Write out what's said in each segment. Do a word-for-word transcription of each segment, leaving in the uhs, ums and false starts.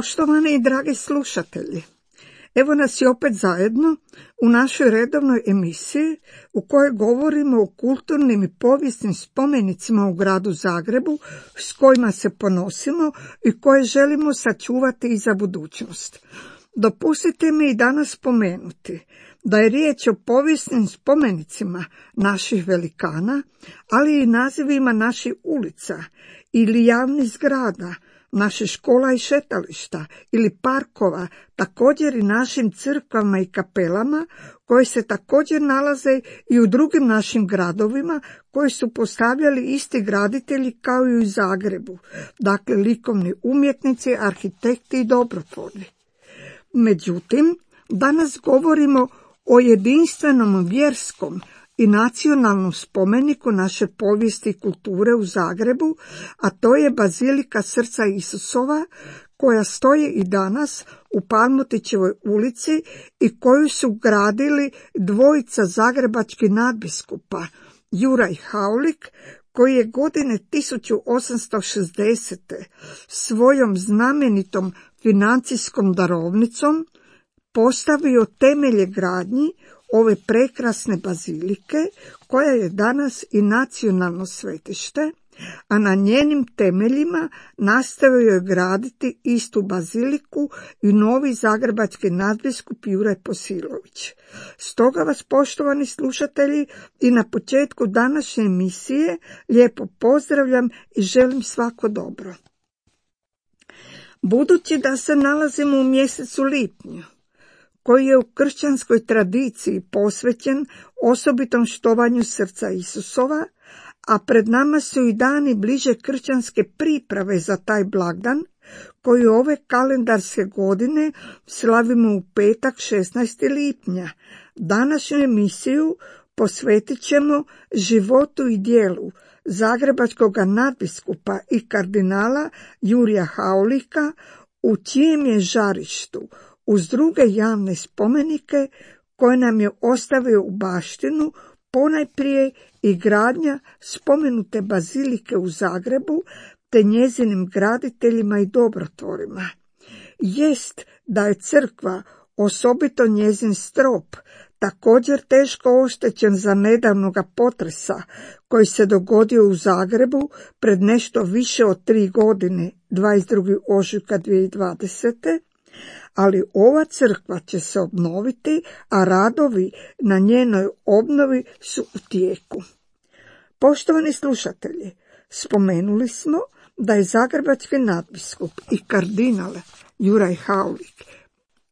Poštovani i dragi slušatelji, evo nas i opet zajedno u našoj redovnoj emisiji u kojoj govorimo o kulturnim i povijesnim spomenicima u gradu Zagrebu s kojima se ponosimo i koje želimo sačuvati i za budućnost. Dopustite mi i danas spomenuti da je riječ o povijesnim spomenicima naših velikana, ali i nazivima naših ulica ili javnih zgrada, naših škola i šetališta ili parkova, također i našim crkvama i kapelama koje se također nalaze i u drugim našim gradovima koji su postavljali isti graditelji kao i u Zagrebu, dakle likovni umjetnici, arhitekti i dobrotvorni. Međutim, danas govorimo o jedinstvenom vjerskom i nacionalnom spomeniku naše povijesti i kulture u Zagrebu, a to je Bazilika Srca Isusova, koja stoji i danas u Palmotićevoj ulici i koju su gradili dvojica zagrebačkih nadbiskupa, Juraj Haulik, koji je godine tisuću osamsto šezdesete svojom znamenitom financijskom darovnicom postavio temelje gradnji ove prekrasne bazilike, koja je danas i nacionalno svetište, a na njenim temeljima nastavio je graditi istu baziliku i novi zagrebački nadbiskup Juraj Posilović. Stoga vas, poštovani slušatelji, i na početku današnje emisije lijepo pozdravljam i želim svako dobro. Budući da se nalazimo u mjesecu lipnju, koji je u kršćanskoj tradiciji posvećen osobitom štovanju srca Isusova, a pred nama su i dani bliže kršćanske priprave za taj blagdan, koji ove kalendarske godine slavimo u petak šesnaestog lipnja. Današnju emisiju posvetit ćemo životu i djelu zagrebačkog nadbiskupa i kardinala Jurija Haulika, u čijem je žarištu uz druge javne spomenike koje nam je ostavio u baštinu ponajprije i gradnja spomenute bazilike u Zagrebu te njezinim graditeljima i dobrotvorima. Jest da je crkva, osobito njezin strop, također teško oštećen za nedavnoga potresa koji se dogodio u Zagrebu pred nešto više od tri godine, dvadeset drugog ožujka dvije tisuće dvadesete. Ali ova crkva će se obnoviti, a radovi na njenoj obnovi su u tijeku. Poštovani slušatelji, spomenuli smo da je zagrebački nadbiskup i kardinal Juraj Haulik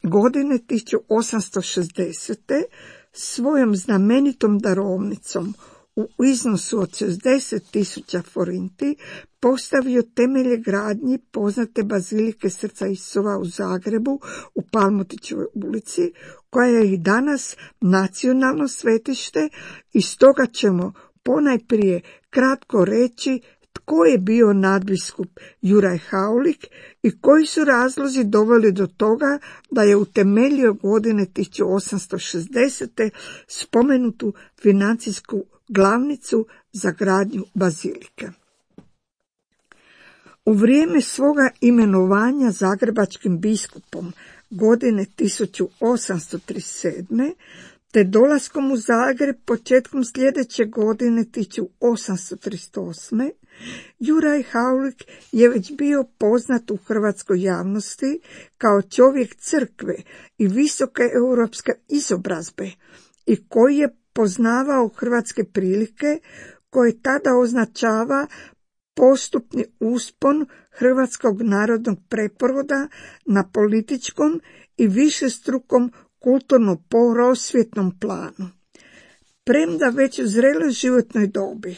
godine tisuću osamsto šezdesete svojom znamenitom darovnicom u iznosu od šezdeset tisuća forinti postavio temelje gradnji poznate Bazilike Srca Isusova u Zagrebu u Palmotićevoj ulici, koja je i danas nacionalno svetište, i stoga ćemo ponajprije kratko reći tko je bio nadbiskup Juraj Haulik i koji su razlozi doveli do toga da je utemeljio godine tisuću osamsto šezdesete spomenutu financijsku glavnicu za gradnju bazilike. U vrijeme svoga imenovanja zagrebačkim biskupom godine tisuću osamsto trideset sedme te dolaskom u Zagreb početkom sljedeće godine tisuću osamsto trideset osme Juraj Haulik je već bio poznat u hrvatskoj javnosti kao čovjek crkve i visoke europske izobrazbe i koji je poznavao hrvatske prilike koje tada označava postupni uspon hrvatskog narodnog preporoda na političkom i višestrukom kulturno-prosvjetnom planu. Premda već u zreloj životnoj dobi,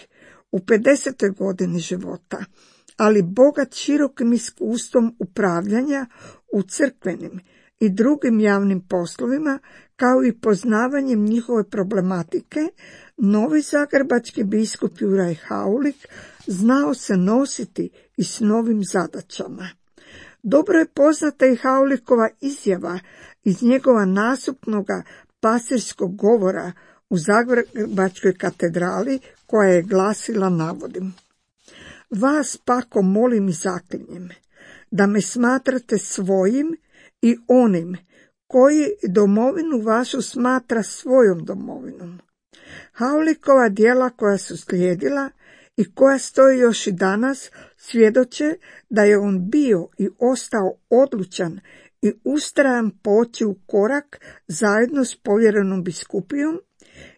u pedesetoj godini života, ali bogat širokim iskustvom upravljanja u crkvenim i drugim javnim poslovima, kao i poznavanjem njihove problematike, novi zagrebački biskup Juraj Haulik znao se nositi i s novim zadaćama. Dobro je poznata i Haulikova izjava iz njegova nastupnoga pastirskog govora u Zagrebačkoj katedrali, koja je glasila, navodim: Vas pako molim i zaklinjem, da me smatrate svojim i onim koji domovinu vašu smatra svojom domovinom. Haulikova djela koja su slijedila i koja stoji još i danas svjedoče da je on bio i ostao odlučan i ustrajan poći u korak zajedno s povjerenom biskupijom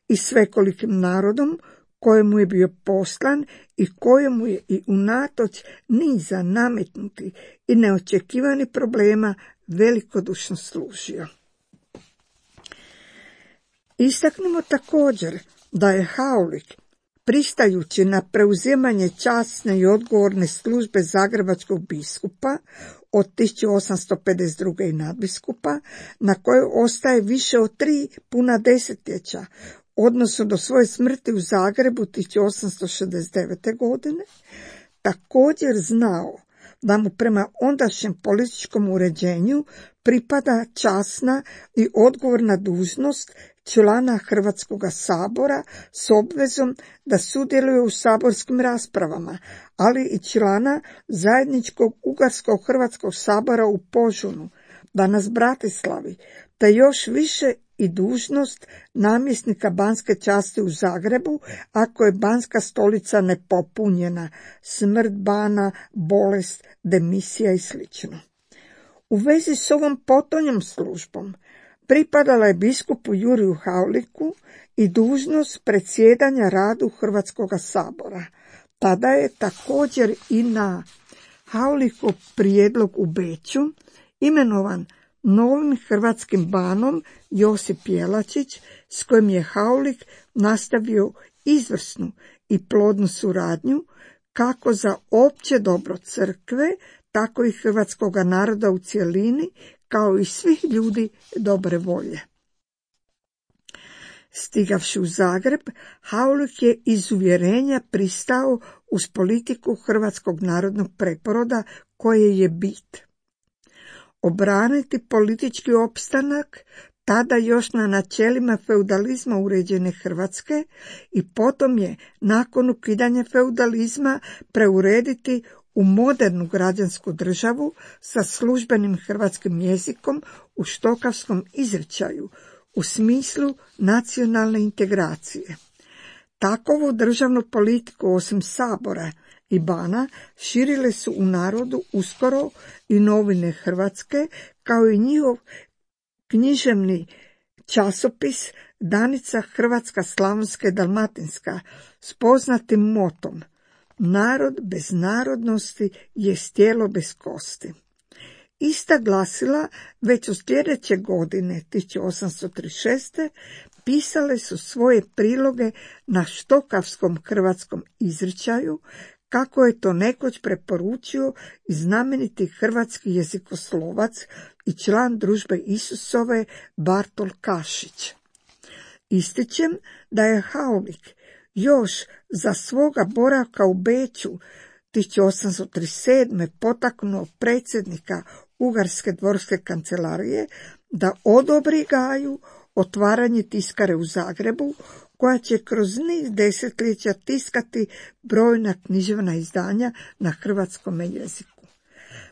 i svekolikim narodom kojemu je bio poslan i kojemu je i unatoč niza nametnuti i neočekivani problema velikodušno služio. Istaknimo također da je Haulik, pristajući na preuzimanje časne i odgovorne službe zagrebačkog biskupa od tisuću osamsto pedeset druge i nadbiskupa, na kojoj ostaje više od tri puna desetljeća, odnosno do svoje smrti u Zagrebu tisuću osamsto šezdeset devete. godine, također znao da mu prema ondašnjem političkom uređenju pripada časna i odgovorna dužnost člana Hrvatskog sabora s obvezom da sudjeluje u saborskim raspravama, ali i člana zajedničkog Ugarsko-Hrvatskog sabora u Požunu, danas Bratislavi, te još više i dužnost namjesnika banske časti u Zagrebu, ako je banska stolica nepopunjena, smrt bana, bolest, demisija i sl. U vezi s ovom potonjom službom pripadala je biskupu Juriju Hauliku i dužnost predsjedanja radu Hrvatskog sabora. Tada je također i na Haulikov prijedlog u Beču imenovan novim hrvatskim banom Josip Jelačić, s kojim je Haulik nastavio izvrsnu i plodnu suradnju kako za opće dobro crkve, tako i hrvatskoga naroda u cjelini, kao i svih ljudi dobre volje. Stigavši u Zagreb, Haulik je iz uvjerenja pristao uz politiku Hrvatskog narodnog preporoda koje je bit. Obraniti politički opstanak tada još na načelima feudalizma uređene Hrvatske i potom je nakon ukidanja feudalizma preurediti u modernu građansku državu sa službenim hrvatskim jezikom u štokavskom izričaju u smislu nacionalne integracije. Takovu državnu politiku osim sabora i bana širile su u narodu uskoro i novine Hrvatske, kao i njihov književni časopis Danica Hrvatska Slavonska i Dalmatinska s poznatim motom: narod bez narodnosti je tijelo bez kosti. Ista glasila već u sljedeće godine, tisuću osamsto trideset šeste. pisale su svoje priloge na štokavskom hrvatskom izričaju, kako je to nekoć preporučio i znameniti hrvatski jezikoslovac i član Družbe Isusove Bartol Kašić. Ističem da je Haulik još za svoga boravka u Beču tisuću osamsto trideset sedme. potaknuo predsjednika Ugarske dvorske kancelarije da odobri Gaju otvaranje tiskare u Zagrebu, koja će kroz niz desetljeća tiskati brojna književna izdanja na hrvatskom jeziku.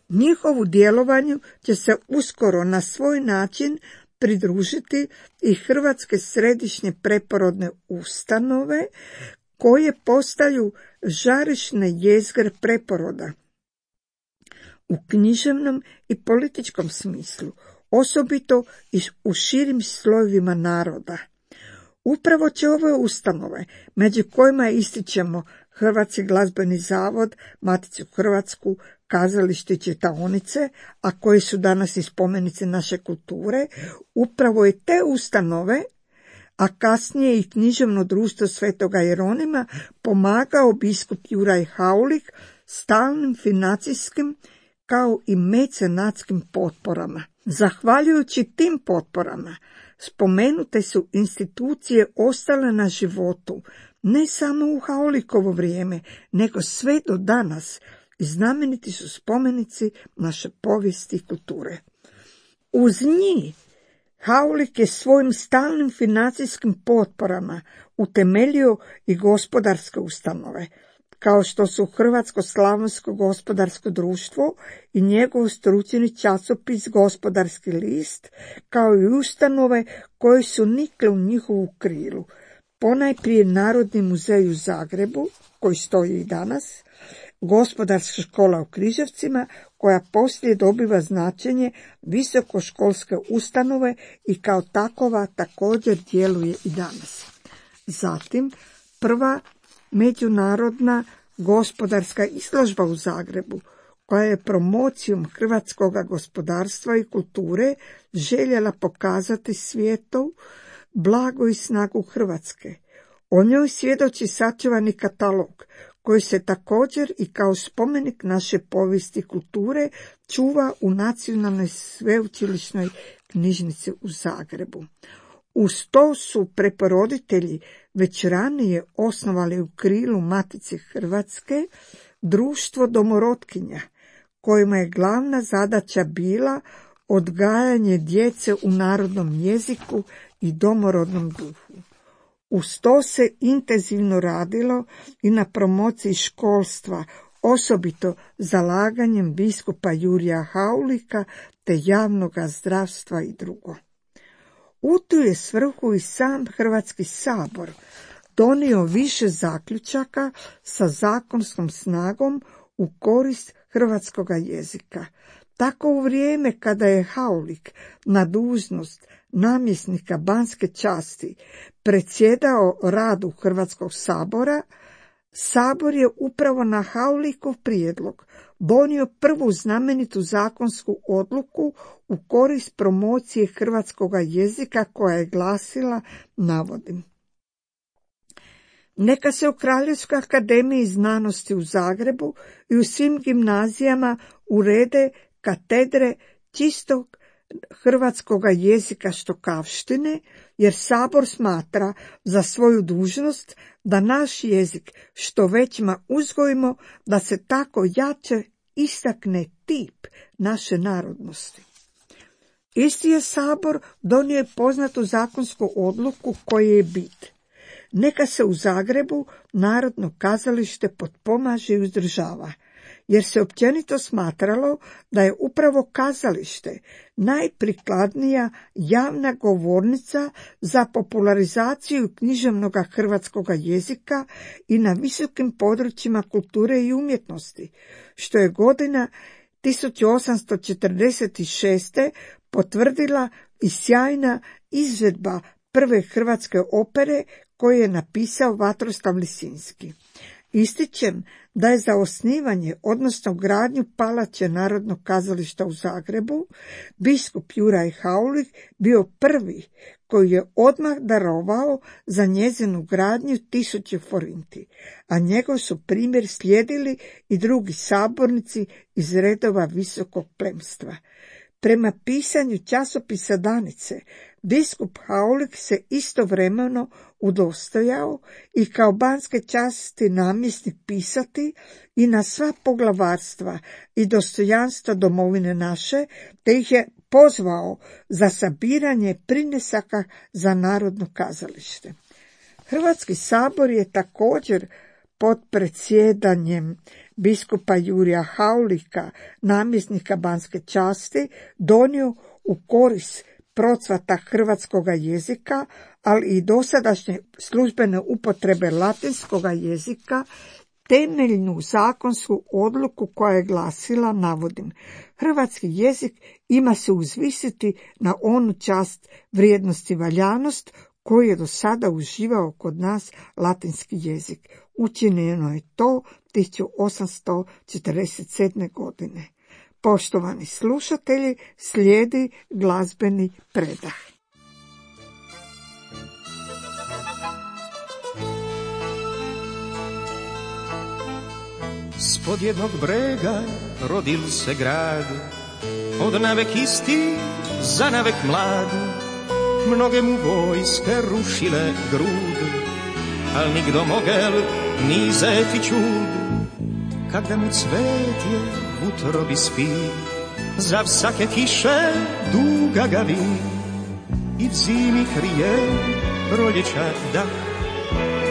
Njihovu djelovanju će se uskoro na svoj način pridružiti i Hrvatske središnje preporodne ustanove, koje postaju žarišne jezgre preporoda u književnom i političkom smislu, osobito i u širim slojevima naroda. Upravo će ove ustanove, među kojima ističemo Hrvatski glazbeni zavod, Maticu Hrvatsku, kazalište i čitaonice, a koji su danas i spomenice naše kulture, upravo je te ustanove, a kasnije i književno društvo Svetoga Jeronima, pomagao biskup Juraj Haulik stalnim financijskim kao i mecenatskim potporama. Zahvaljujući tim potporama, spomenute su institucije ostale na životu, ne samo u Haulikovo vrijeme, nego sve do danas, i znameniti su spomenici naše povijesti i kulture. Uz njih Haulik je svojim stalnim financijskim potporama utemeljio i gospodarske ustanove, kao što su Hrvatsko-slavonsko gospodarsko društvo i njegov stručni časopis Gospodarski list, kao i ustanove koje su nikle u njihovu krilu. Ponajprije Narodni muzej u Zagrebu, koji stoji i danas, Gospodarska škola u Križevcima, koja poslije dobiva značenje visokoškolske ustanove i kao takova također djeluje i danas. Zatim, prva međunarodna gospodarska izložba u Zagrebu, koja je promocijom hrvatskog gospodarstva i kulture željela pokazati svijetu blago i snagu Hrvatske. O njoj svjedoči sačuvani katalog, koji se također i kao spomenik naše povijesti i kulture čuva u Nacionalnoj sveučilišnoj knjižnici u Zagrebu. Uz to su preporoditelji već ranije osnovali u krilu Matice Hrvatske društvo domorotkinja, kojima je glavna zadaća bila odgajanje djece u narodnom jeziku i domorodnom duhu. Uz to se intenzivno radilo i na promociji školstva, osobito zalaganjem biskupa Jurija Haulika te javnog zdravstva i drugo. U tu je svrhu i sam Hrvatski sabor donio više zaključaka sa zakonskom snagom u korist hrvatskog jezika. Tako u vrijeme kada je Haulik na dužnost namjesnika Banske časti predsjedao radu Hrvatskog sabora, Sabor je upravo na Haulikov prijedlog donio prvu znamenitu zakonsku odluku u korist promocije hrvatskog jezika koja je glasila, navodim: neka se u Kraljevskoj akademiji znanosti u Zagrebu i u svim gimnazijama urede katedre čistog hrvatskog jezika štokavštine, jer Sabor smatra za svoju dužnost da naš jezik što većma uzgojimo, da se tako jače istakne tip naše narodnosti. Isti je Sabor donio je poznatu zakonsku odluku koje je bit: neka se u Zagrebu Narodno kazalište potpomaže i uzdržava, jer se općenito smatralo da je upravo kazalište najprikladnija javna govornica za popularizaciju književnog hrvatskog jezika i na visokim područjima kulture i umjetnosti, što je godina tisuću osamsto četrdeset šeste. potvrdila i sjajna izvedba prve hrvatske opere koju je napisao Vatroslav Lisinski. Ističem da je za osnivanje, odnosno gradnju palače Narodnog kazališta u Zagrebu, biskup Juraj Haulik bio prvi koji je odmah darovao za njezinu gradnju tisuće forinti, a njegov su primjer slijedili i drugi sabornici iz redova visokog plemstva. Prema pisanju časopisa Danice, biskup Haulik se istovremeno udostojao i kao banske časti namjesnik pisati i na sva poglavarstva i dostojanstva domovine naše, te ih je pozvao za sabiranje prinesaka za Narodno kazalište. Hrvatski sabor je također pod predsjedanjem biskupa Jurija Haulika, namjesnika Banske časti, donio u korist procvata hrvatskog jezika, ali i dosadašnje službene upotrebe latinskog jezika, temeljnu zakonsku odluku koja je glasila, navodim: hrvatski jezik ima se uzvisiti na onu čast, vrijednost i valjanost koju je do sada uživao kod nas latinski jezik. Učinjeno je to tisuću osamsto četrdeset sedme. godine. Poštovani slušatelji, slijedi glazbeni predah. Spod jednog brega rodil se grad, od navek isti za navek mlad. Mnoge mu vojske rušile grud, al nikdo mogel ni zeti čud. Kada mu cvetje v utrobi spi, za vsake kiše duga ga vi, i v zimi krije proljeća dah,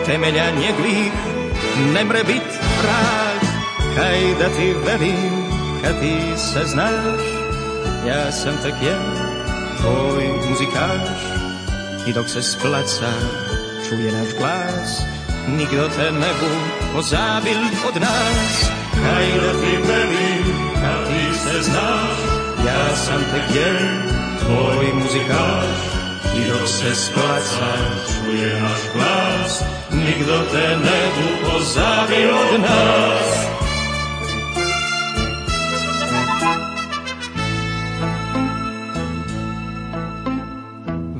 temelja njeglih ne mre bit vrag, kaj da ti velim, kad ti se znaš, ja sam tek jedan tvoj muzikaš, i dok se s placa čuje naš glas, nigdo te ne bu pozabil od nas. Kaj da ti velim, kad ti se znaš, ja sam tek jedan tvoj muzikaš, i dok se s placa čuje naš glas, nigdo te ne bu pozabil od nas.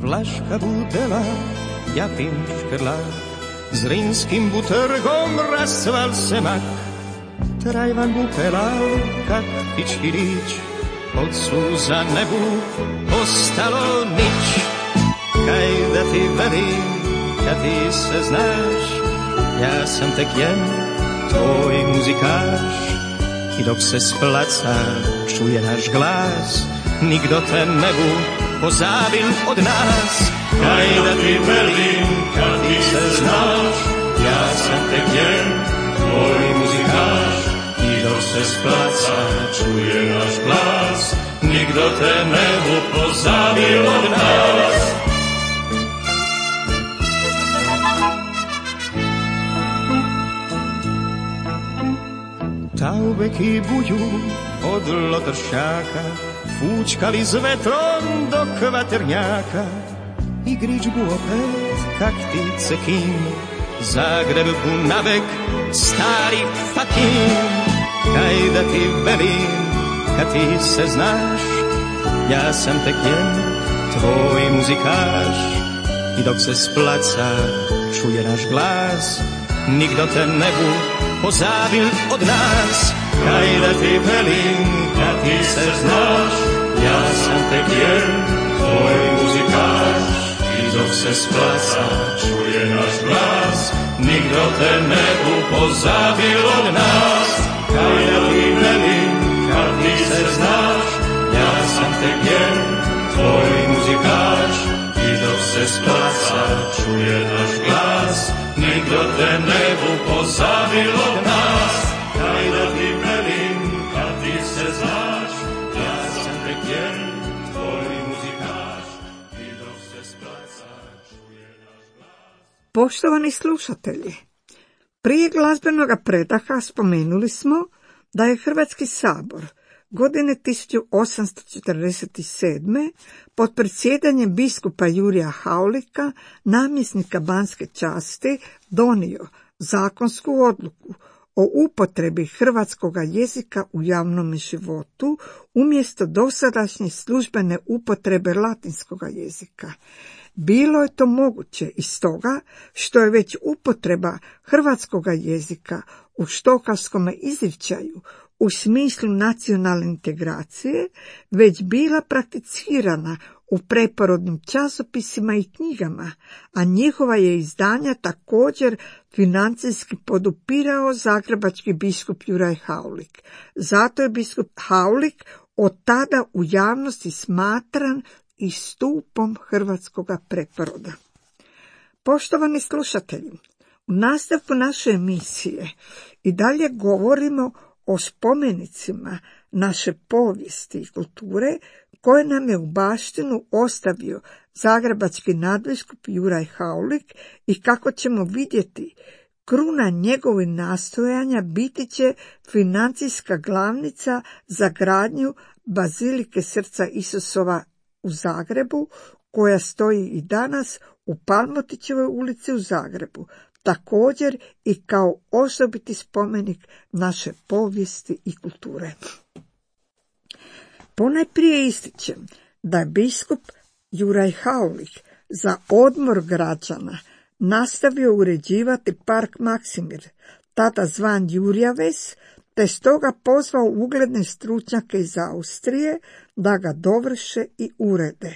Vlaška budela, ja pim škrlak, Zrinskim butrgom rasval se mak, Trajvan bu pelao kak pičkirić, od suza ne bu ostalo nič. Kaj da ti velim, kad ti se znaš, ja sam tek jedan tvoj muzikaš, i dok se s placa čuje naš glas, nigdo te ne bu pozabil od nas. Kaj da ti velim, kad ti se znaš, ja sam tek jedan tvoj muzikaš, i dok se s placa čuje naš glas, nigdo te ne bu pozabil od nas. Taubek i buju od lotršaka fučkali s vetrom do kvaternjaka, i grič bu opet kak ptice kin, Zagreb bu navek stari fakin. Kaj da ti velim, kad ti se znaš, ja sam tek jedan tvoj muzikaš, i dok se s placa čuje naš glas, nigdo te ne bu pozabil od nas. Kaj da ti velim, kad ti se znaš, ja sam tek jedan tvoj muzikaš, i dok se s placa čuje naš glas, nigdo te ne bu pozabil od nas. Kaj da ti velim, kad ti se znaš, ja sam tek jedan tvoj muzikaš, i dok se s placa čuje naš glas, nigdo te ne bu pozabil od nas. Kaj da ti velim, kad ti se znaš, ja sam tek jedan tvoj muzikaš, i dok se s placa čuje naš glas. Poštovani slušatelji, prije glazbenog predaha spomenuli smo da je Hrvatski sabor godine tisuću osamsto četrdeset sedme pod predsjedanjem biskupa Jurija Haulika, namjesnika Banske časti, donio zakonsku odluku o upotrebi hrvatskoga jezika u javnom životu umjesto dosadašnje službene upotrebe latinskoga jezika. Bilo je to moguće iz toga što je već upotreba hrvatskoga jezika u štokavskom izričaju u smislu nacionalne integracije već bila prakticirana u preporodnim časopisima i knjigama, a njihova je izdanja također financijski podupirao zagrebački biskup Juraj Haulik. Zato je biskup Haulik od tada u javnosti smatran i stupom hrvatskoga preporoda. Poštovani slušatelji, u nastavku naše emisije i dalje govorimo o spomenicima naše povijesti i kulture koje nam je u baštinu ostavio zagrebački nadbiskup Juraj Haulik i kako ćemo vidjeti, kruna njegovih nastojanja biti će financijska glavnica za gradnju Bazilike Srca Isusova u Zagrebu, koja stoji i danas u Palmotićevoj ulici u Zagrebu, također i kao osobiti spomenik naše povijesti i kulture. Ponajprije ističem da je biskup Juraj Haulik za odmor građana nastavio uređivati park Maksimir, tada zvan Jurija ves, te stoga pozvao ugledne stručnjake iz Austrije da ga dovrše i urede.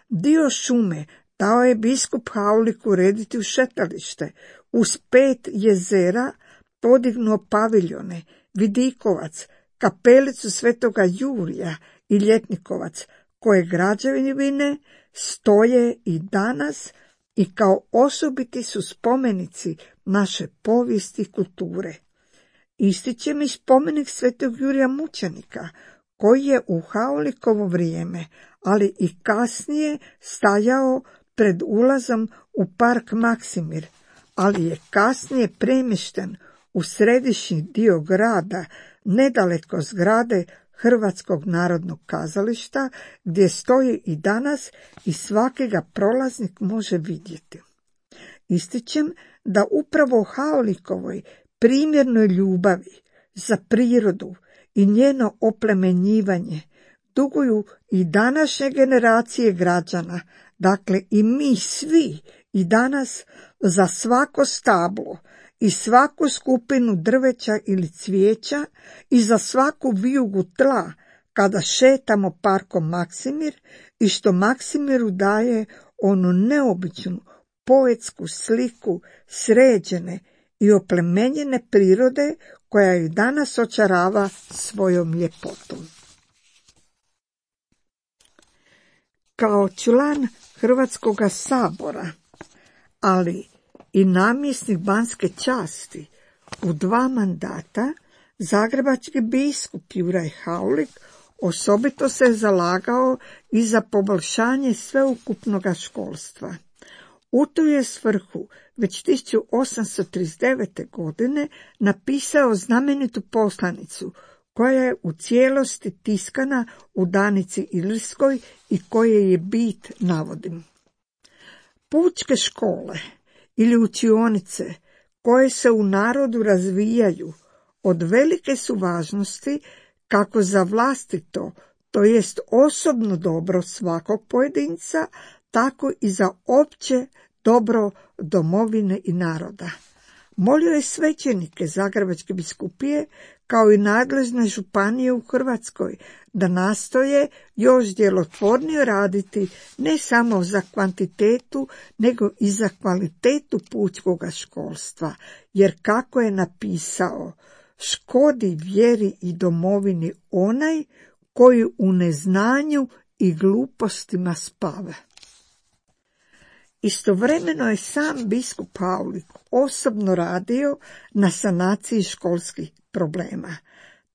Dio šume dao je biskup Haulik urediti u šetalište, uz pet jezera podignuo paviljone, vidikovac, kapelicu Svetoga Jurija i Ljetnikovac, koje građevine stoje i danas i kao osobiti su spomenici naše povijesti i kulture. Ističem i spomenik svetog Jurija Mučenika, koji je u Haulikovo vrijeme, ali i kasnije stajao pred ulazom u park Maksimir, ali je kasnije premješten u središnji dio grada, nedaleko zgrade Hrvatskog narodnog kazališta, gdje stoji i danas i svaki ga prolaznik može vidjeti. Ističem da upravo u Haulikovoj primjernoj ljubavi za prirodu i njeno oplemenjivanje duguju i današnje generacije građana, dakle i mi svi i danas, za svako stablo i svaku skupinu drveća ili cvijeća i za svaku vijugu tla kada šetamo parkom Maksimir i što Maksimiru daje onu neobičnu poetsku sliku sređene i oplemenjene prirode koja ju danas očarava svojom ljepotom. Kao član Hrvatskoga sabora, ali i namjesnik Banske časti u dva mandata, zagrebački biskup Juraj Haulik osobito se zalagao i za poboljšanje sveukupnoga školstva. U tu je svrhu već tisuću osamsto trideset devete. godine napisao znamenitu poslanicu koja je u cijelosti tiskana u Danici Ilirskoj i koje je bit navodim. Pučke škole ili učionice koje se u narodu razvijaju od velike su važnosti kako za vlastito, to jest osobno dobro svakog pojedinca, tako i za opće dobro domovine i naroda. Molio je svećenike Zagrebačke biskupije kao i nadležne županije u Hrvatskoj da nastoje još djelotvornije raditi ne samo za kvantitetu nego i za kvalitetu pučkoga školstva, jer kako je napisao, škodi vjeri i domovini onaj koji u neznanju i glupostima spava. Istovremeno je sam biskup Haulik osobno radio na sanaciji školskih problema.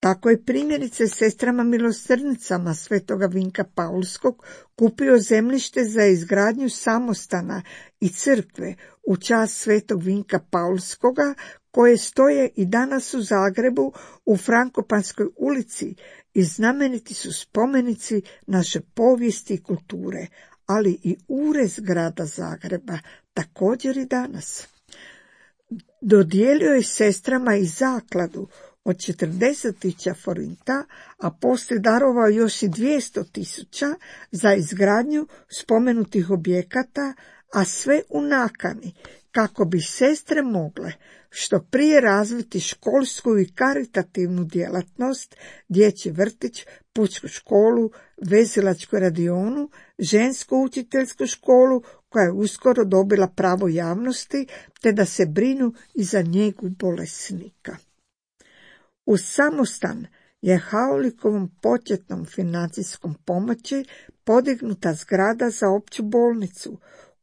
Tako je primjerice sestrama milosrdnicama Svetoga Vinka Paulskog kupio zemljište za izgradnju samostana i crkve u čast Svetog Vinka Paulskoga, koje stoje i danas u Zagrebu u Frankopanskoj ulici i znameniti su spomenici naše povijesti i kulture, ali i urez grada Zagreba, također i danas. Dodijelio je sestrama i zakladu od četrdeset tisuća forinta, a poslije darovao još i dvjesto tisuća za izgradnju spomenutih objekata, a sve u nakani kako bi sestre mogle što prije razviti školsku i karitativnu djelatnost, dječji vrtić, pučku školu, vezilačku radionu, žensku učiteljsku školu koja je uskoro dobila pravo javnosti, te da se brinu i za njegu bolesnika. Uz samostan je Haulikovom početnom financijskom pomoći podignuta zgrada za opću bolnicu,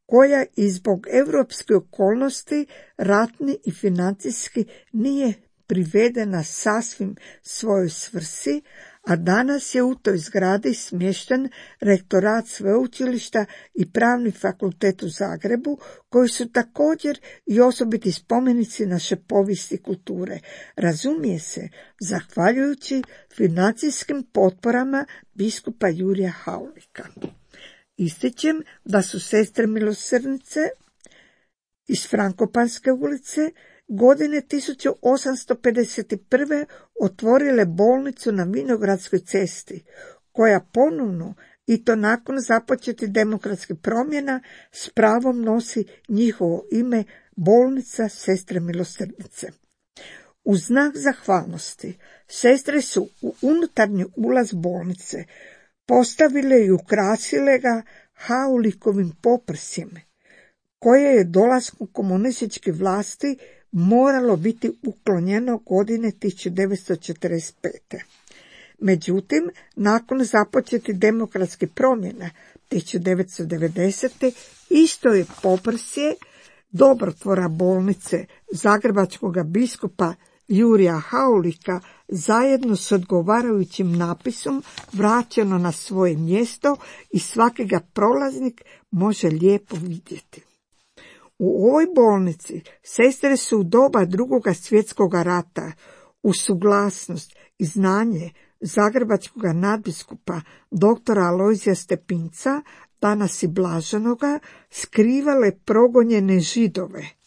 koja i zbog europske okolnosti ratni i financijski nije privedena sasvim svojoj svrsi, a danas je u toj zgradi smješten rektorat sveučilišta i pravni fakultet u Zagrebu, koji su također i osobiti spomenici naše povijesti i kulture, razumije se, zahvaljujući financijskim potporama biskupa Jurija Haulika. Ističem da su sestre milosrdnice iz Frankopanske ulice godine tisuću osamsto pedeset prve. otvorile bolnicu na Vinogradskoj cesti, koja ponovno, i to nakon započetih demokratskih promjena, s pravom nosi njihovo ime, bolnica sestre milosrdnice. U znak zahvalnosti sestre su u unutarnji ulaz bolnice postavile i ukrasile ga Haulikovim poprsjem, koje je dolaskom komunističke vlasti moralo biti uklonjeno godine tisuću devetsto četrdeset pete. Međutim, nakon započetih demokratskih promjena tisuću devetsto devedesete. Isto je poprsje dobrotvora bolnice zagrebačkog biskupa Jurija Haulika zajedno s odgovarajućim napisom vraćeno na svoje mjesto i svaki ga prolaznik može lijepo vidjeti. U ovoj bolnici sestre su u doba Drugoga svjetskog rata u suglasnost i znanje zagrebačkog nadbiskupa doktora Alojzija Stepinca, danas i blaženoga, skrivale progonjene Židove.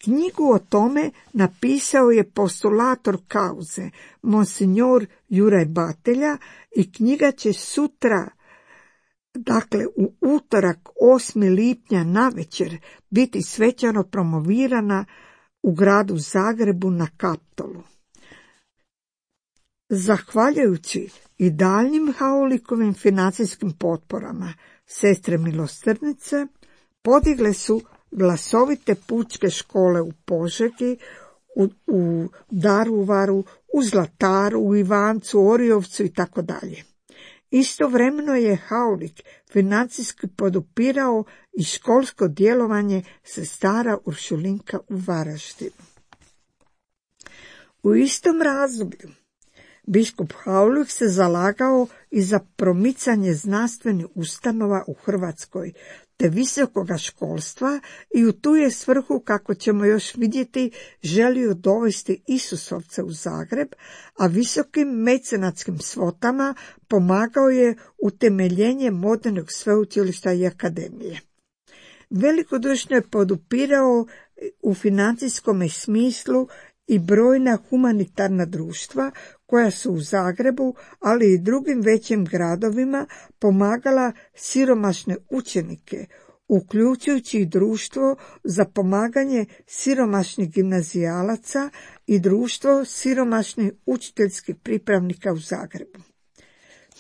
Knjigu o tome napisao je postulator kauze, monsignor Juraj Batelja, i knjiga će sutra, dakle u utorak osmog lipnja navečer, biti svečano promovirana u gradu Zagrebu na Kaptolu. Zahvaljujući i daljnjim Haulikovim financijskim potporama, sestre milosrdnice podigle su glasovite pučke škole u Požegi, u, u Daruvaru, u Zlataru, u Ivancu, Oriovcu i tako dalje. Istovremeno je Haulik financijski podupirao i školsko djelovanje sestara Uršulinka u Varaždinu. U istom razdoblju biskup Haulik se zalagao i za promicanje znanstvenih ustanova u Hrvatskoj te visokoga školstva i u tu je svrhu, kako ćemo još vidjeti, želio dovesti Isusovce u Zagreb, a visokim mecenatskim svotama pomagao je utemeljenje modernog sveučilišta i akademije. Velikodušno je podupirao u financijskom smislu i brojna humanitarna društva koja su u Zagrebu, ali i drugim većim gradovima pomagala siromašne učenike, uključujući i društvo za pomaganje siromašnih gimnazijalaca i društvo siromašnih učiteljskih pripravnika u Zagrebu.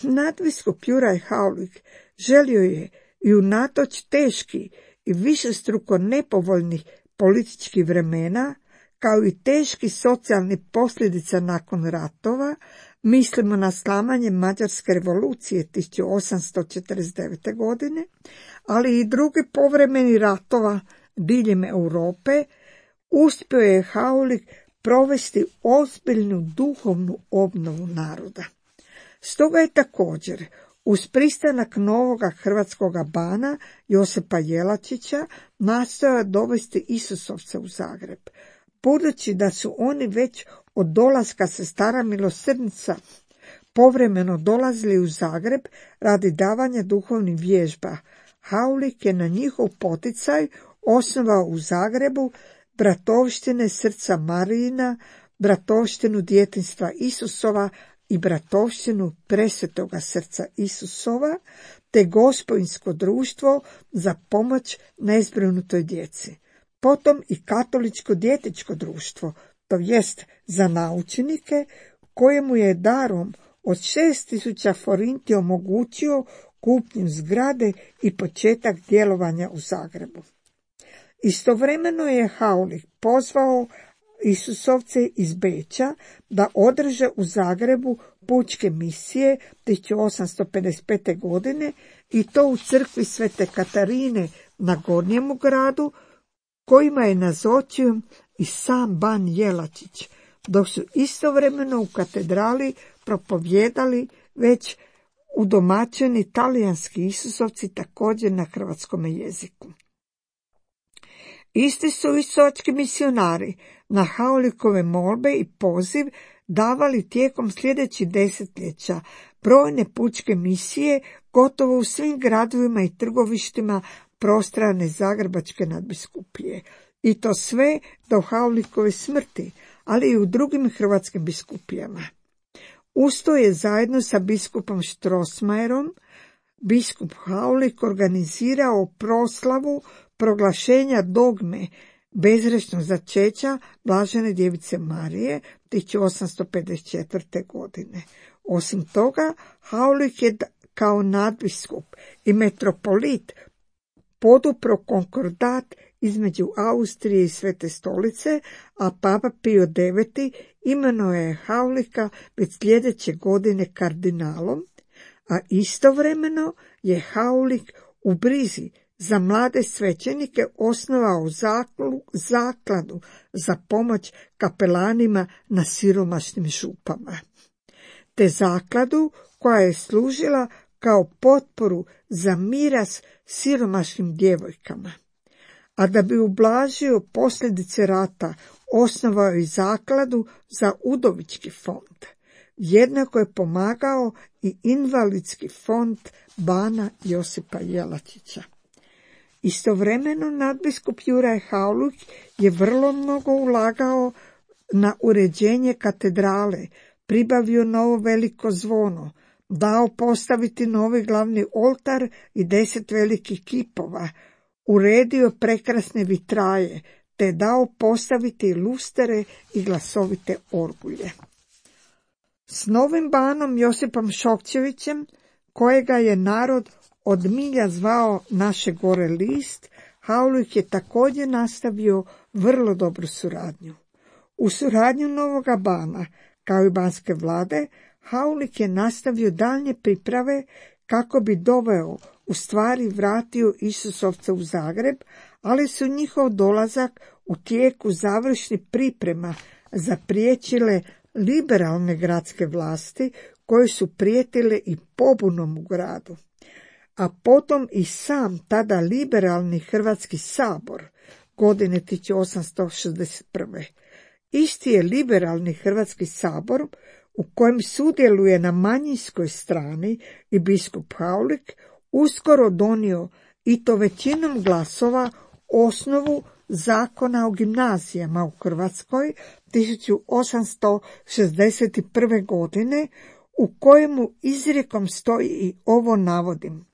Nadbiskup Juraj Haulik želio je i unatoč teški i višestruko nepovoljnih političkih vremena, kao i teški socijalni posljedica nakon ratova, mislimo na slamanje Mađarske revolucije tisuću osamsto četrdeset devete. godine, ali i drugi povremeni ratova diljem Europe, uspio je Haulik provesti ozbiljnu duhovnu obnovu naroda. Stoga je također, uz pristanak novoga hrvatskoga bana Josipa Jelačića, nastojao dovesti Isusovce u Zagreb. Budući da su oni već od dolaska sestara milosrdnica povremeno dolazili u Zagreb radi davanja duhovnih vježba, Haulik je na njihov poticaj osnovao u Zagrebu bratovštine Srca Marijina, bratovštinu Djetinjstva Isusova i bratovštinu Presvetoga Srca Isusova, te Gospodinsko društvo za pomoć nezbrinutoj djeci. Potom i Katoličko dječje društvo, to jest za naučnike, kojemu je darom od šest tisuća forinti omogućio kupnju zgrade i početak djelovanja u Zagrebu. Istovremeno je Haulik pozvao Isusovce iz Beča da održe u Zagrebu pučke misije tisuću osamsto pedeset pete. godine i to u crkvi Svete Katarine na Gornjemu gradu, kojima je nazočio i sam ban Jelačić, dok su istovremeno u katedrali propovjedali već udomaćeni talijanski Isusovci također na hrvatskom jeziku. Isti su istovački misionari na Haulikove molbe i poziv davali tijekom sljedećih desetljeća brojne pučke misije gotovo u svim gradovima i trgovištima prostrane Zagrebačke nadbiskupije. I to sve do Haulikove smrti, ali i u drugim hrvatskim biskupijama. Usto je zajedno sa biskupom Strossmayerom biskup Haulik organizirao proslavu proglašenja dogme bezgrešnog začeća Blažene djevice Marije tisuću osamsto pedeset četvrte. godine. Osim toga, Haulik je kao nadbiskup i metropolit podupro konkordat između Austrije i Svete stolice, a Papa Pio deveti imenovao je Haulika već sljedeće godine kardinalom, a istovremeno je Haulik u brizi za mlade svećenike osnovao zaklu, zakladu za pomoć kapelanima na siromašnim župama. Te zakladu koja je služila kao potporu za miras siromašnim djevojkama. A da bi ublažio posljedice rata, osnovao je zakladu za udovički fond. Jednako je pomagao i invalidski fond bana Josipa Jelačića. Istovremeno nadbiskup Juraj Haulik je vrlo mnogo ulagao na uređenje katedrale, pribavio novo veliko zvono, dao postaviti novi glavni oltar i deset velikih kipova, uredio prekrasne vitraje, te dao postaviti lustere i glasovite orgulje. S novim banom Josipom Šokčevićem, kojega je narod od milja zvao naše gore list, Haulik je također nastavio vrlo dobru suradnju. U suradnju novoga bana, kao i banske vlade, Haulik je nastavio daljnje priprave kako bi doveo, u stvari vratio Isusovce u Zagreb, ali su njihov dolazak u tijeku završnih priprema zapriječile liberalne gradske vlasti koje su prijetile i pobunom u gradu. A potom i sam tada liberalni Hrvatski sabor godine tisuću osamsto šezdeset prve. Isti je liberalni Hrvatski sabor u kojem sudjeluje na manjinskoj strani i biskup Haulik uskoro donio, i to većinom glasova, osnovu zakona o gimnazijama u Hrvatskoj tisuću osamsto šezdeset prve. godine, u kojemu izrijekom stoji i ovo navodim: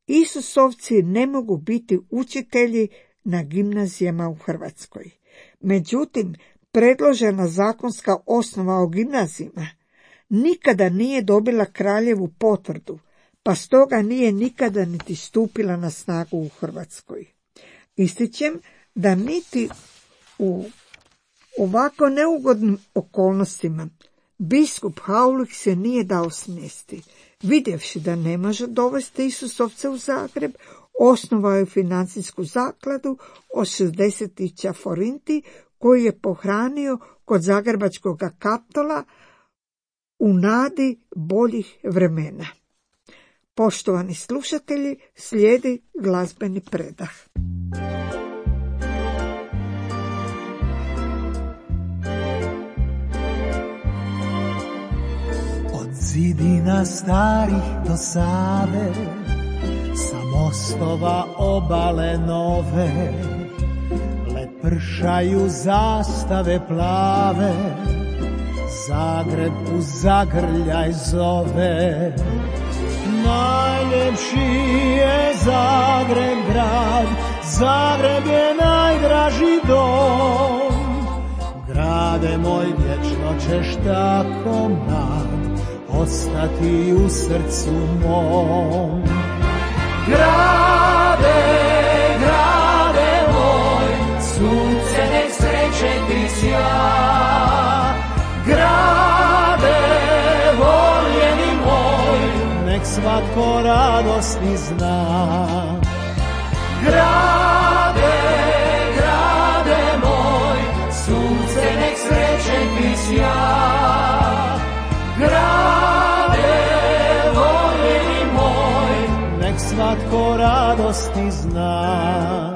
Isusovci ne mogu biti učitelji na gimnazijama u Hrvatskoj. Međutim, predložena zakonska osnova o gimnazijama nikada nije dobila kraljevu potvrdu, pa stoga nije nikada niti stupila na snagu u Hrvatskoj. Ističem da niti u ovako neugodnim okolnostima biskup Haulik se nije dao smjesti. Vidjevši da ne može dovesti Isusovce u Zagreb, osnovao je financijsku zakladu od šezdeset tisuća forinti koju je pohranio kod zagrebačkog Kaptola u nadi boljih vremena. Poštovani slušatelji, slijedi glazbeni predah. Od zidina starih do Save, sa mostova obale nove, lepršaju zastave plave, Zagreb u zagrljaj zove. Najljepši je Zagreb grad, Zagreb je najdraži dom. Grade moj, vječno ćeš tako mlad ostati u srcu mom. Grade, grade moj, sunce nek sreće ti sja. Grade, voljeni moj, nek svatko radosti zna. Grade, grade moj, sunce nek sreće ti sja. Grade, voljeni moj, nek svatko radosti zna.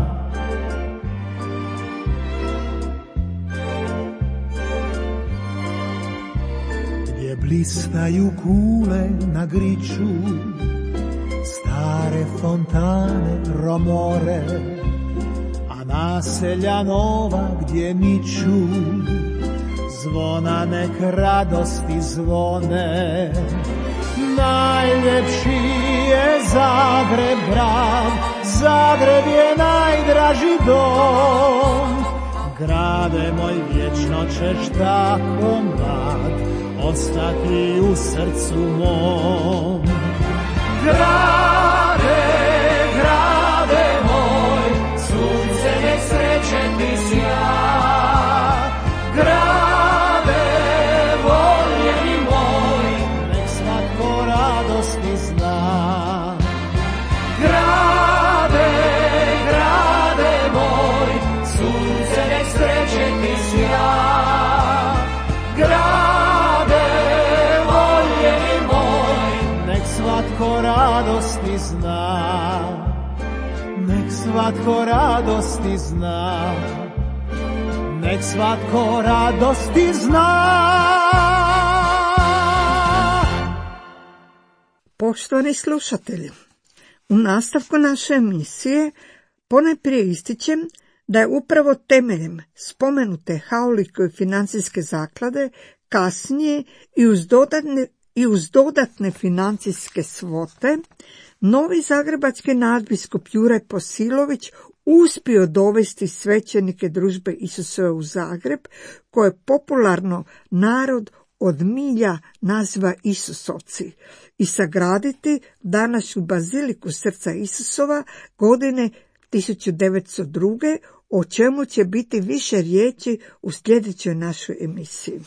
Gdje blistaju kule na griču, stare fontane romore, a naselja nova gdje niču, zvona nek radosti zvone. Najljepši je Zagreb grad, Zagreb je najdraži dom. Grade moj, vječno ćeš tako mlad ostati u srcu mom. Grade, grade moj, sunce nek sreće ti sja. Grade, voljeni moj, nek svatko radosti zna. Grade, zna, nek svatko radosti zna, nek svatko radosti zna. Poštovani slušatelji, u nastavku naše emisije ponajprije ističem da je upravo temeljem spomenute Haulikove financijske zaklade kasnije i uz dodatne, i uz dodatne financijske svote novi zagrebački nadbiskup Juraj Posilović uspio dovesti svećenike Družbe Isusove u Zagreb, koje popularno narod od milja naziva Isusovci, i sagraditi današnju baziliku Srca Isusova godine tisuću devetsto druge, o čemu će biti više riječi u sljedećoj našoj emisiji.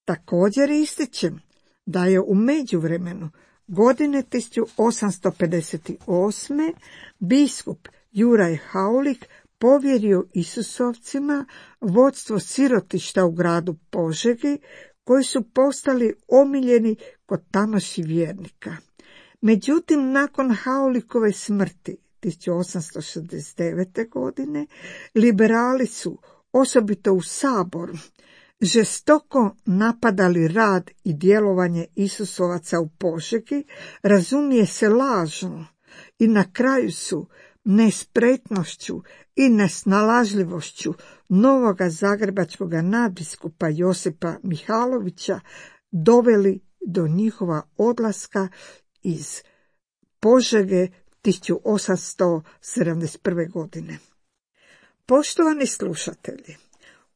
Također ističem da je u međuvremenu godine tisuću osamsto pedeset osme biskup Juraj Haulik povjerio Isusovcima vodstvo sirotišta u gradu Požegi, koji su postali omiljeni kod tamošnjih vjernika. Međutim, nakon Haulikove smrti tisuću osamsto šezdeset devete. godine, liberali su, osobito u Saboru, žestoko napadali rad i djelovanje Isusovaca u Požegi, razumije se lažno, i na kraju su nespretnošću i nesnalažljivošću novoga zagrebačkog nadbiskupa Josipa Mihalovića doveli do njihova odlaska iz Požege tisuću osamsto sedamdeset prve. godine. Poštovani slušatelji,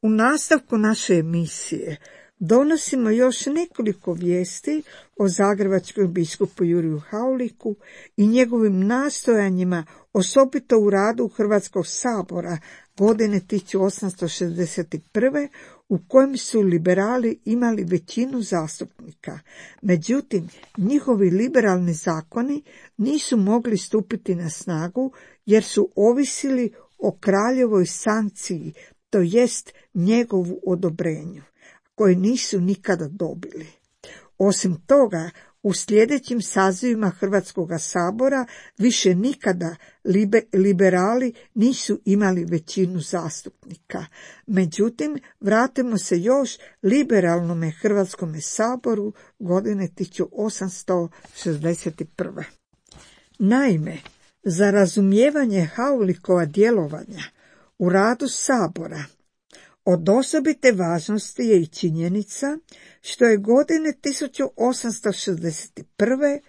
u nastavku naše emisije donosimo još nekoliko vijesti o zagrebačkom biskupu Juriju Hauliku i njegovim nastojanjima, osobito u radu Hrvatskog sabora godine tisuću osamsto šezdeset prve. u kojem su liberali imali većinu zastupnika. Međutim, njihovi liberalni zakoni nisu mogli stupiti na snagu jer su ovisili o kraljevoj sankciji, to jest njegovu odobrenju, koje nisu nikada dobili. Osim toga, u sljedećim sazivima Hrvatskog sabora više nikada libe, liberali nisu imali većinu zastupnika. Međutim, vratimo se još liberalnome Hrvatskome saboru godine tisuću osamsto šezdeset prve. Naime, za razumijevanje Haulikova djelovanja u radu sabora od osobite važnosti je i činjenica što je godine tisuću osamsto šezdeset prve.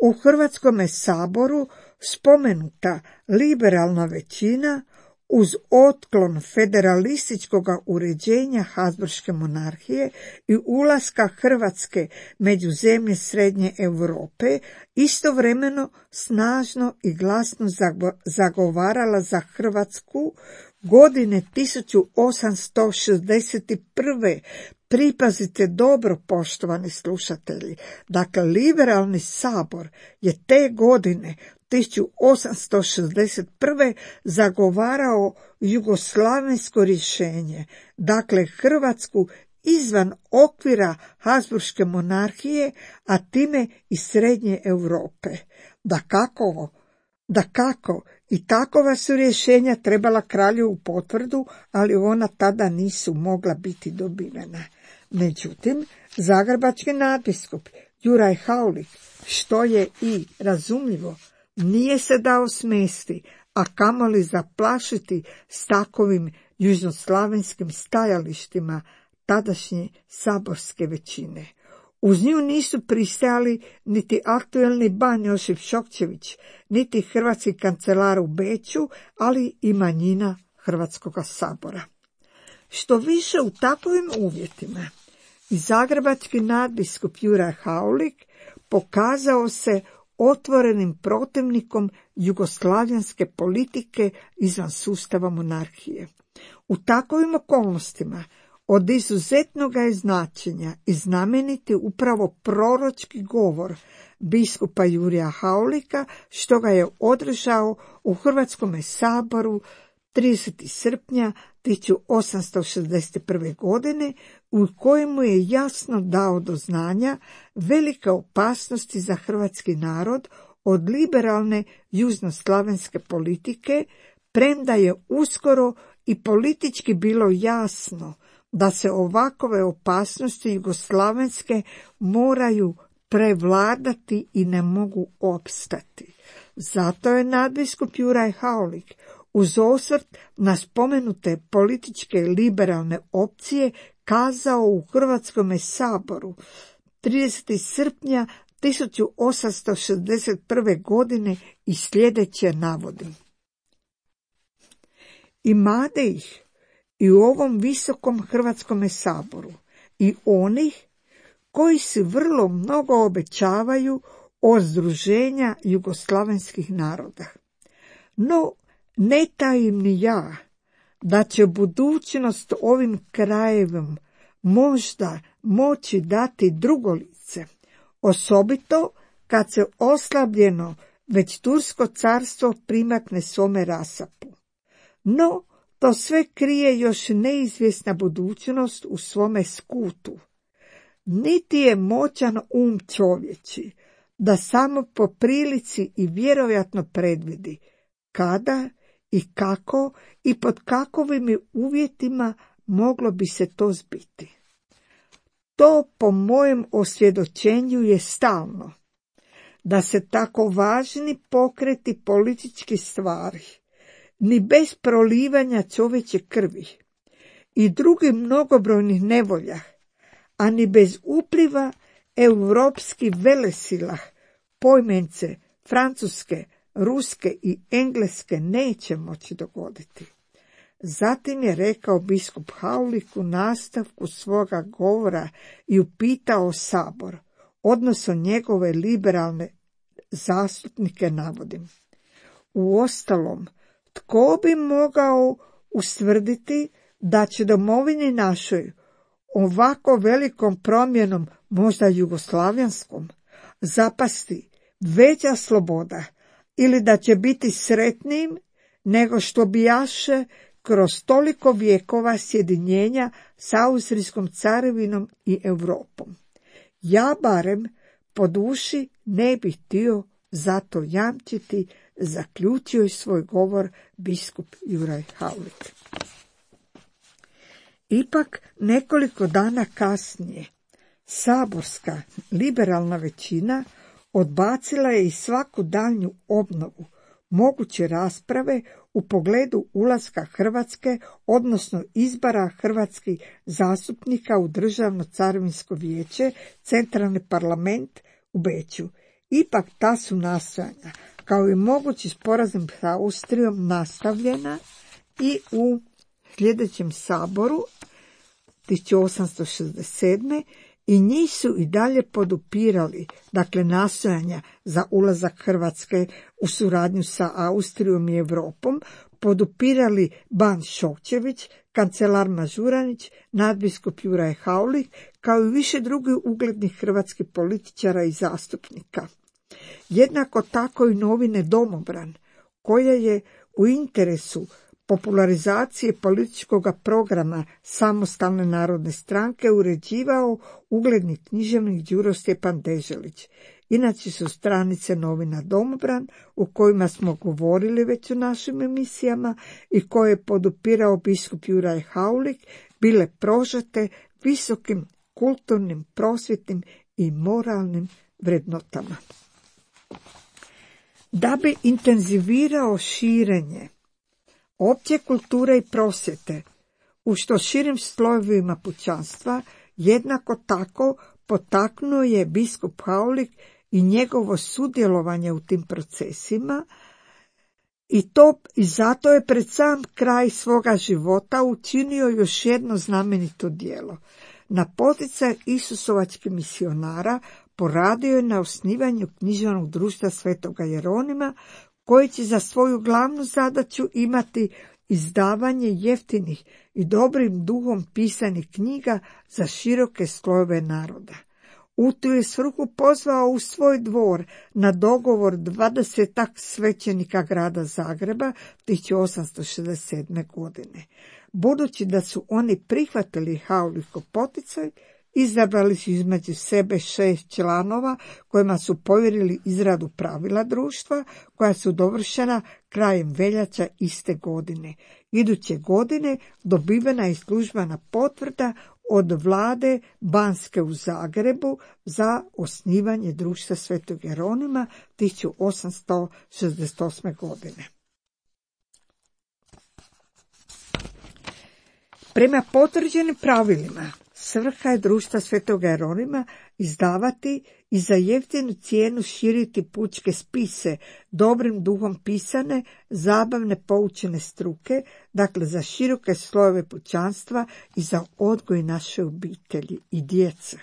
u Hrvatskome saboru spomenuta liberalna većina uz otklon federalističkog uređenja Habsburške monarhije i ulaska Hrvatske među zemlje Srednje Europe istovremeno snažno i glasno zagovarala za Hrvatsku godine tisuću osamsto šezdeset prve. Pripazite dobro, poštovani slušatelji. Dakle, liberalni sabor je te godine tisuću osamsto šezdeset prve. zagovarao jugoslavensko rješenje, dakle Hrvatsku izvan okvira Habsburške monarhije, a time i Srednje Europe. Dakako, dakako, i takova su rješenja trebala kralju u potvrdu, ali ona tada nisu mogla biti dobivena. Međutim, zagrebački nadbiskup Juraj Haulik, što je i razumljivo, nije se dao smesti, a kamoli zaplašiti s takovim južnoslavenskim stajalištima tadašnje saborske većine. Uz nju nisu pristajali niti aktuelni ban Josip Šokčević, niti hrvatski kancelar u Beču, ali i manjina Hrvatskog sabora. Što više, u takovim uvjetima i zagrebački nadbiskup Juraj Haulik pokazao se otvorenim protivnikom jugoslavenske politike izvan sustava monarhije. U takovim okolnostima od izuzetnog je značenja i znameniti upravo proročki govor biskupa Jurija Haulika, što ga je održao u Hrvatskome saboru tridesetog srpnja tisuću osamsto šezdeset prve. godine, u kojemu je jasno dao do znanja velike opasnosti za hrvatski narod od liberalne južnoslavenske politike, premda je uskoro i politički bilo jasno da se ovakove opasnosti jugoslavenske moraju prevladati i ne mogu opstati. Zato je nadbiskup Juraj Haulik uz osvrt na spomenute političke liberalne opcije kazao u Hrvatskome saboru tridesetog srpnja tisuću osamsto šezdeset prve. godine i sljedeće navodim. Imade ih i u ovom visokom Hrvatskome saboru i onih koji se vrlo mnogo obećavaju od združenja jugoslavenskih naroda. No, ne tajim ni ja da će budućnost ovim krajevom možda moći dati drugo lice, osobito kad se oslabljeno već Tursko carstvo primakne svome rasapu. No, to sve krije još neizvjesna budućnost u svome skutu. Niti je moćan um čovječi da samo po prilici i vjerojatno predvidi kada i kako i pod kakovim uvjetima moglo bi se to zbiti. To po mojem osvjedočenju je stalno, da se tako važni pokreti politički stvari, ni bez prolivanja čovječe krvi i drugih mnogobrojnih nevolja, a ni bez upliva europskih velesila, pojmence Francuske, Ruske i Engleske neće moći dogoditi. Zatim je rekao biskup Haulik u nastavku svoga govora i upitao sabor, odnosno njegove liberalne zastupnike navodim. Uostalom, tko bi mogao ustvrditi da će domovini našoj ovako velikom promjenom, možda jugoslavenskom, zapasti veća sloboda ili da će biti sretnijim nego što bijaše kroz toliko vjekova sjedinjenja s Austrijskom carevinom i Europom. Ja barem po duši ne bih htio zato jamčiti, zaključio je svoj govor biskup Juraj Haulik. Ipak nekoliko dana kasnije saborska liberalna većina odbacila je i svaku daljnju obnovu moguće rasprave u pogledu ulaska Hrvatske, odnosno izbora hrvatskih zastupnika u Državno carinsko vijeće, centralni parlament u Beču. Ipak ta su nastojanja, kao i mogući sporazum s Austrijom, nastavljena i u sljedećem saboru tisuću osamsto šezdeset sedme. i njih su i dalje podupirali, dakle nastojanja za ulazak Hrvatske u suradnju sa Austrijom i Europom, podupirali Ban Šokčević, kancelar Mažuranić, nadbiskup Juraj Haulik, kao i više drugih uglednih hrvatskih političara i zastupnika. Jednako tako i novine Domobran, koja je u interesu popularizacije političkog programa Samostalne narodne stranke uređivao ugledni književnik Đuro Stjepan Deželić. Inače su stranice novina Domobran, u kojima smo govorili već u našim emisijama i koje je podupirao biskup Juraj Haulik, bile prožete visokim kulturnim, prosvjetnim i moralnim vrednotama. Da bi intenzivirao širenje opće kulture i prosvjete u što širim slojevima pučanstva, jednako tako potaknuo je biskup Haulik i njegovo sudjelovanje u tim procesima i to i zato je pred sam kraj svoga života učinio još jedno znamenito djelo. Na poticaj isusovačkih misionara poradio je na osnivanju književnog društva Svetoga Jeronima, koji će za svoju glavnu zadaću imati izdavanje jeftinih i dobrim duhom pisanih knjiga za široke slojeve naroda. U tu je svrhu pozvao u svoj dvor na dogovor dvadesetak svećenika grada Zagreba tisuću osamsto šezdeset sedme. godine. Budući da su oni prihvatili Haulikov poticaj, Izabrali su između sebe šest članova kojima su povjerili izradu pravila društva, koja su dovršena krajem veljača iste godine. Iduće godine dobivena je službena potvrda od vlade Banske u Zagrebu za osnivanje društva Svetog Jeronima tisuću osamsto šezdeset osme. godine. Prema potvrđenim pravilima, svrha je društva Svetog Jeronima izdavati i za jeftinu cijenu širiti pučke spise, dobrim duhom pisane, zabavne poučene struke, dakle za široke slojeve pučanstva i za odgoj naše obitelji i djece.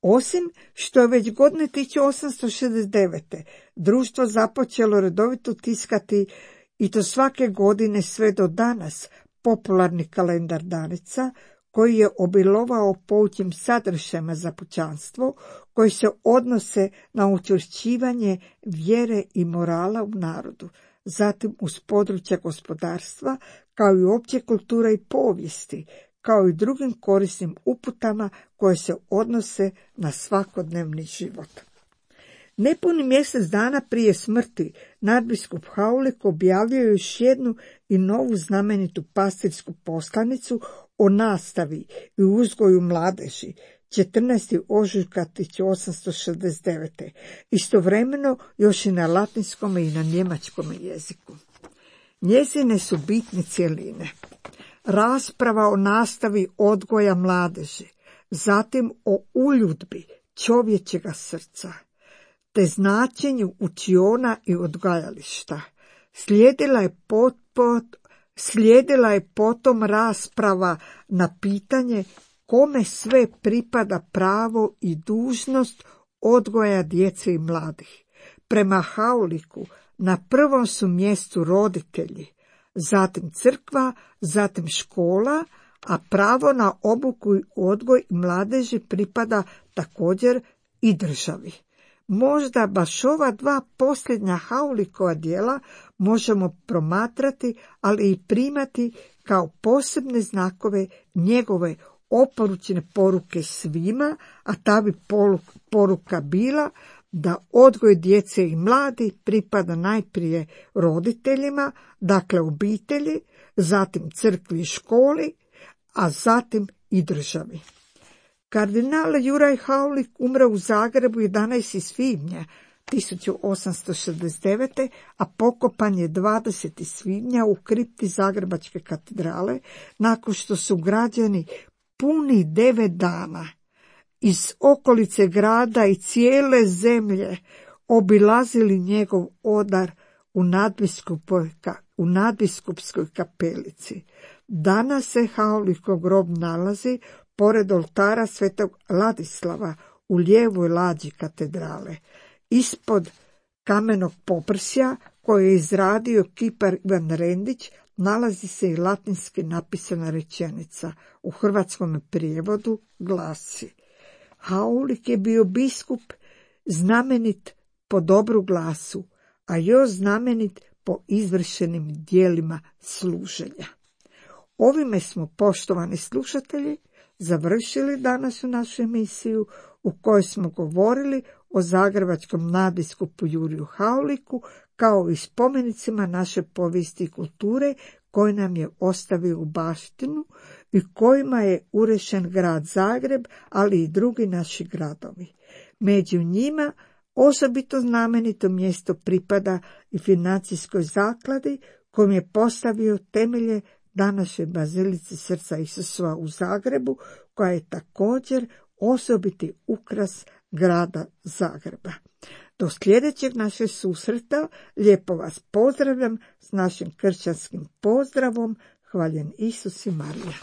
Osim što je već godine tisuću osamsto šezdeset devete. društvo započelo redovito tiskati, i to svake godine sve do danas, popularni kalendar danica, koji je obilovao poučnim sadržajima za pučanstvo, koji se odnose na učvršćivanje vjere i morala u narodu, zatim uz područja gospodarstva, kao i opće kulture i povijesti, kao i drugim korisnim uputama koje se odnose na svakodnevni život. Nepuni mjesec dana prije smrti nadbiskup Haulik objavio je još jednu i novu znamenitu pastirsku poslanicu o nastavi i uzgoju mladeži, četrnaestog ožujka tisuću osamsto šezdeset devete. Istovremeno još i na latinskom i na njemačkom jeziku. Njezine su bitne cjeline: rasprava o nastavi odgoja mladeži, zatim o uljudbi čovječega srca, te značenju učiona i odgajališta. Slijedila je, pot, pot, slijedila je potom rasprava na pitanje kome sve pripada pravo i dužnost odgoja djece i mladih. Prema Hauliku na prvom su mjestu roditelji, zatim crkva, zatim škola, a pravo na obuku i odgoj mladeži pripada također i državi. Možda baš ova dva posljednja Haulikova djela možemo promatrati, ali i primati kao posebne znakove njegove oporučene poruke svima, a ta bi poruka bila da odgoj djece i mladi pripada najprije roditeljima, dakle obitelji, zatim crkvi i školi, a zatim i državi. Kardinal Juraj Haulik umre u Zagrebu jedanaestog svibnja tisuću osamsto šezdeset devete. a pokopan je dvadesetog svibnja u kripti Zagrebačke katedrale, nakon što su građani puni devet dana iz okolice grada i cijele zemlje obilazili njegov odar u nadbiskupskoj, u nadbiskupskoj kapelici. Danas se Haulikov grob nalazi pored oltara svetog Ladislava u lijevoj lađi katedrale. Ispod kamenog poprsja koje je izradio kipar Ivan Rendić nalazi se i latinski napisana rečenica. U hrvatskom prijevodu glasi: Haulik je bio biskup znamenit po dobru glasu, a još znamenit po izvršenim djelima služenja. Ovime smo, poštovani slušatelji, završili danas u našu emisiju u kojoj smo govorili o zagrebačkom nadbiskupu Juriju Hauliku kao i spomenicima naše povijesti i kulture koji nam je ostavio u baštinu i kojima je urešen grad Zagreb, ali i drugi naši gradovi. Među njima osobito znamenito mjesto pripada i financijskoj zakladi kojom je postavio temelje današnje bazilice Srca Isusova u Zagrebu, koja je također osobiti ukras grada Zagreba. Do sljedećeg našeg susreta lijepo vas pozdravljam s našim kršćanskim pozdravom. Hvaljen Isus i Marija.